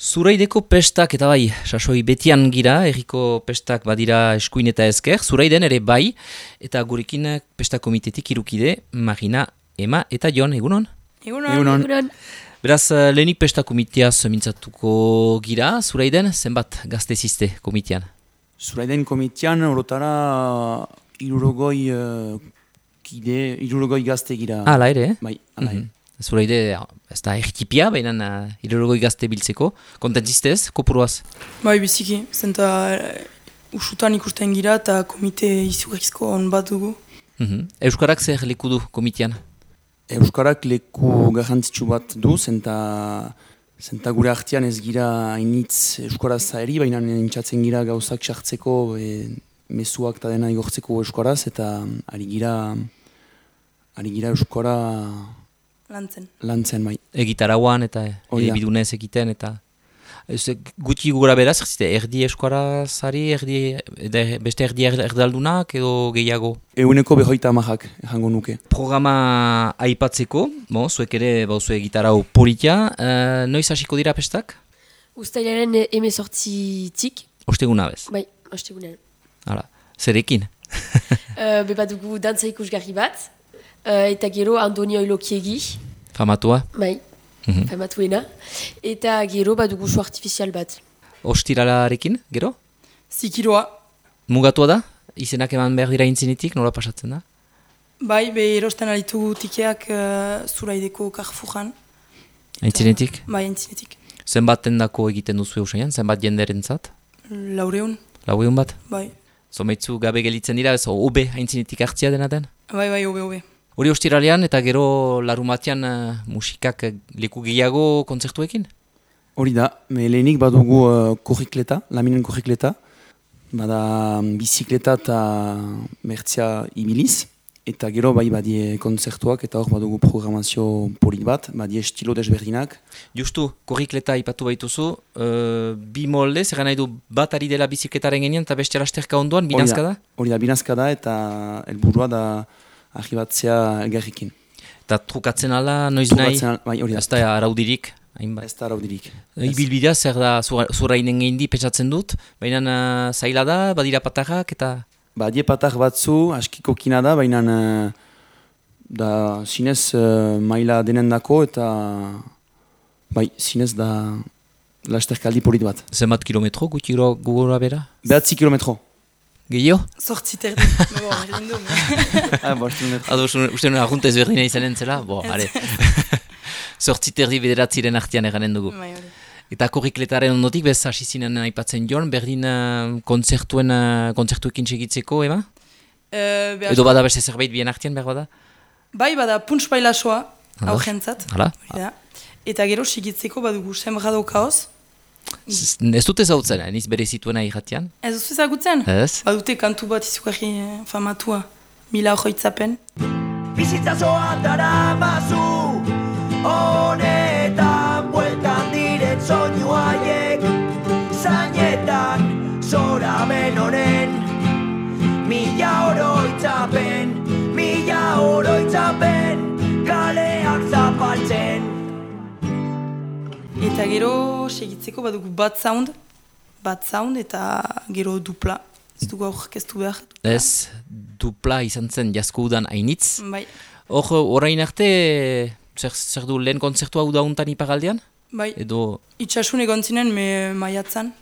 Zuraideko pestak eta bai, sasoi betian gira, erriko pestak badira eskuin eta ezker, Zuraiden ere bai, eta gurekin pesta komitetik irukide, Marina, Ema eta Jon, egunon? Egunon. Beraz, lehenik pesta komiteaz mintzatuko gira, Zuraiden, zenbat gazte zizte komitean? Zuraiden komitean orotara irurogoi gazte gira. Hala ere, Bai, hala ere. Zuraide, ez da ertipia, baina irurogoi gazte biltzeko. Kontentzistez, kopuruaz? Bai, biziki, zenta usutan ikusten gira eta komite izugarrizko on bat dugu. Euskarak zer leku du komitean? Euskarak leku garrantzitsu bat du, zenta gure artean ez gira hainitz euskaraz eri, baina entzatzen gira gauzak sartzeko, mezuak eta dena igortzeko euskaraz, eta ari gira euskara lantzen bai. Egitarauan eta bidunez egiten eta... Guti gura beraz, erdi euskarazari, beste erdi erdaldunak edo gehiago? Eguneko 50 ejango nuke. Programa aipatzeko, zuek ere bauzue gitarau politia, noiz hasiko dira pestak? Uztailaren 18tik. Osteguna bez? Bai, ostegunean. Hala, zerekin? Bat dugu dantza ikusgarri bat, eta gero Andoni Oilokiegi. Famatua? Bai, famatuena. Eta gero bat dugu su artifizial bat. Ostiralarekin, gero? Zikiroa. Mugatua da? Izenak eman behar dira intzinetik, nola pasatzen da? Bai, erosten alitugu tikeak Zuraideko Carrefouran. Intzinetik? Bai, intzinetik. Zenbaten dako egiten duzu eusaian? Zenbat jenderen zat? 400. 400 bat? Bai. Zomeitzu gabe gelitzen dira, ez obe haintzinetik hartzia dena den? Bai, obe. Hori ostiralean eta gero larumatean musikak leku gehiago kontzertuekin? Hori da, lehenik badugu korrikleta, laminen korrikleta, bada bizikleta eta mertzia ibiliz, eta gero bai badie kontzertuak eta hor badugu programazio polit bat, badie estilo desberdinak. Justu, korrikleta ipatu baituzu, bi molde, zer nahi du bat ari dela bizikletaren genian eta beste lasterka ondoan, binazka da? Hori da, binazka da eta helburua da argibatzea elgarrikin. Eta trukatzen ala, noiz nahi? Bai, hori da. Ez da araudirik? Ez da araudirik. Ibilbidea zer da Zurainen gehindi pentsatzen dut, baina zaila da, badira patarrak eta... Badie patar batzu, askiko kina da, baina da zinez maila denendako eta bai, zinez da lasterkaldi polit bat. Zenbat kilometro guti gugora bera? 9 kilometro. Gehiago? 8 terdi. Uste nuen arguntez berdina izanen zela? Ale. 8 terdi bederatziren artean eranen dugu. Eta korrikletaren ondotik, bez hasi zinen aipatzen Jon, berdin kontzertuekin segitzeko, Ema? Edo bada beste zerbait bien artean, behar bada? Bai, bada punts bailasoa, aurrentzat. Eta gero segitzeko badugu sembrado kaoz. Ez dute zautzen, niz bere zituena irratian? Ez duzu ezagutzen? Ez. Badute kantu bat izugarri famatua, 1000 hoitzapen. Bizitzazoa dara mazu, honetan bueltan diren soinu haiek, zainetan zoramen honen, 1000 oroitzapen, kaleak zapaltzen. Eta gero segitzeko badugu bat sound eta gero dupla. Ez dugu aurkeztu behar. Ez, dupla izan zen jasko udan hainitz. Bai. Hor, orain arte, zer du lehen kontzertu hau dauntan ipagaldean? Bai, edo... itxasun egon zinen maiatzan.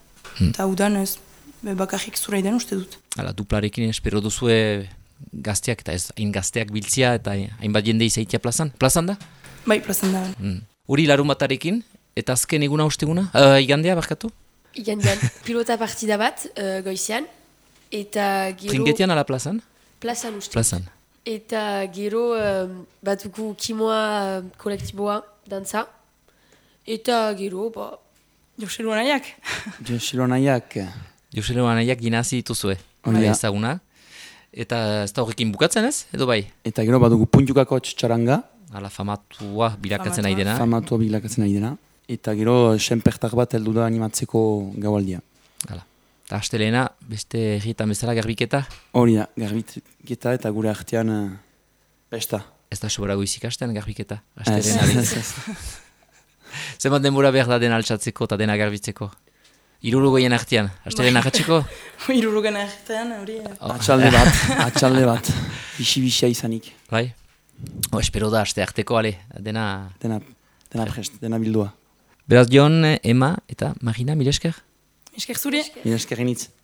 Eta udan ez, bakarrik Zuraiden uste dut. Hala, duplarekin espero duzue gazteak eta ez hain gazteak biltzia eta hainbat jende izaitia plazan. Plazan da? Bai, plazan da. Hori larumatarekin? Eta azken eguna osteguna? Igandea, barkatu? Igandean, pilota partida bat, goizean. Eta gero... Trinketian ala plazan? Plazan uste. Plazan. Eta gero batuko kimoa kolektiboa, dantza. Eta gero, Joselu Anaiak. Joselu Anaiak ginazi dituzue. Ezaguna. Eta ez da horrekin bukatzen ez? Edo bai? Eta gero badugu puntukako txaranga. Ala famatua bilakatzen nahi dena. Famatua bilakatzen nahi dena. Eta gero senpertak bat heldu da animatzeko gaualdia. Hala. Eta astelena, beste herrietan bezala garbiketa? Hori da, garbiketa eta gure artean pesta. Ez da sobrago izikasten garbiketa? Ez. Zenbat denbora behar da dena altxatzeko eta dena garbitzeko? 60 artean, asteren ahatxeko? Hirurogen artean, hori. Atxalde bat, bisi-bisia izanik. Bai? Espero da, aste arteko, ale, dena... Dena prest, dena bildua. Beraz, Jon, Ema eta Marina, mil esker? Esker zure? Mil eskerin hitz.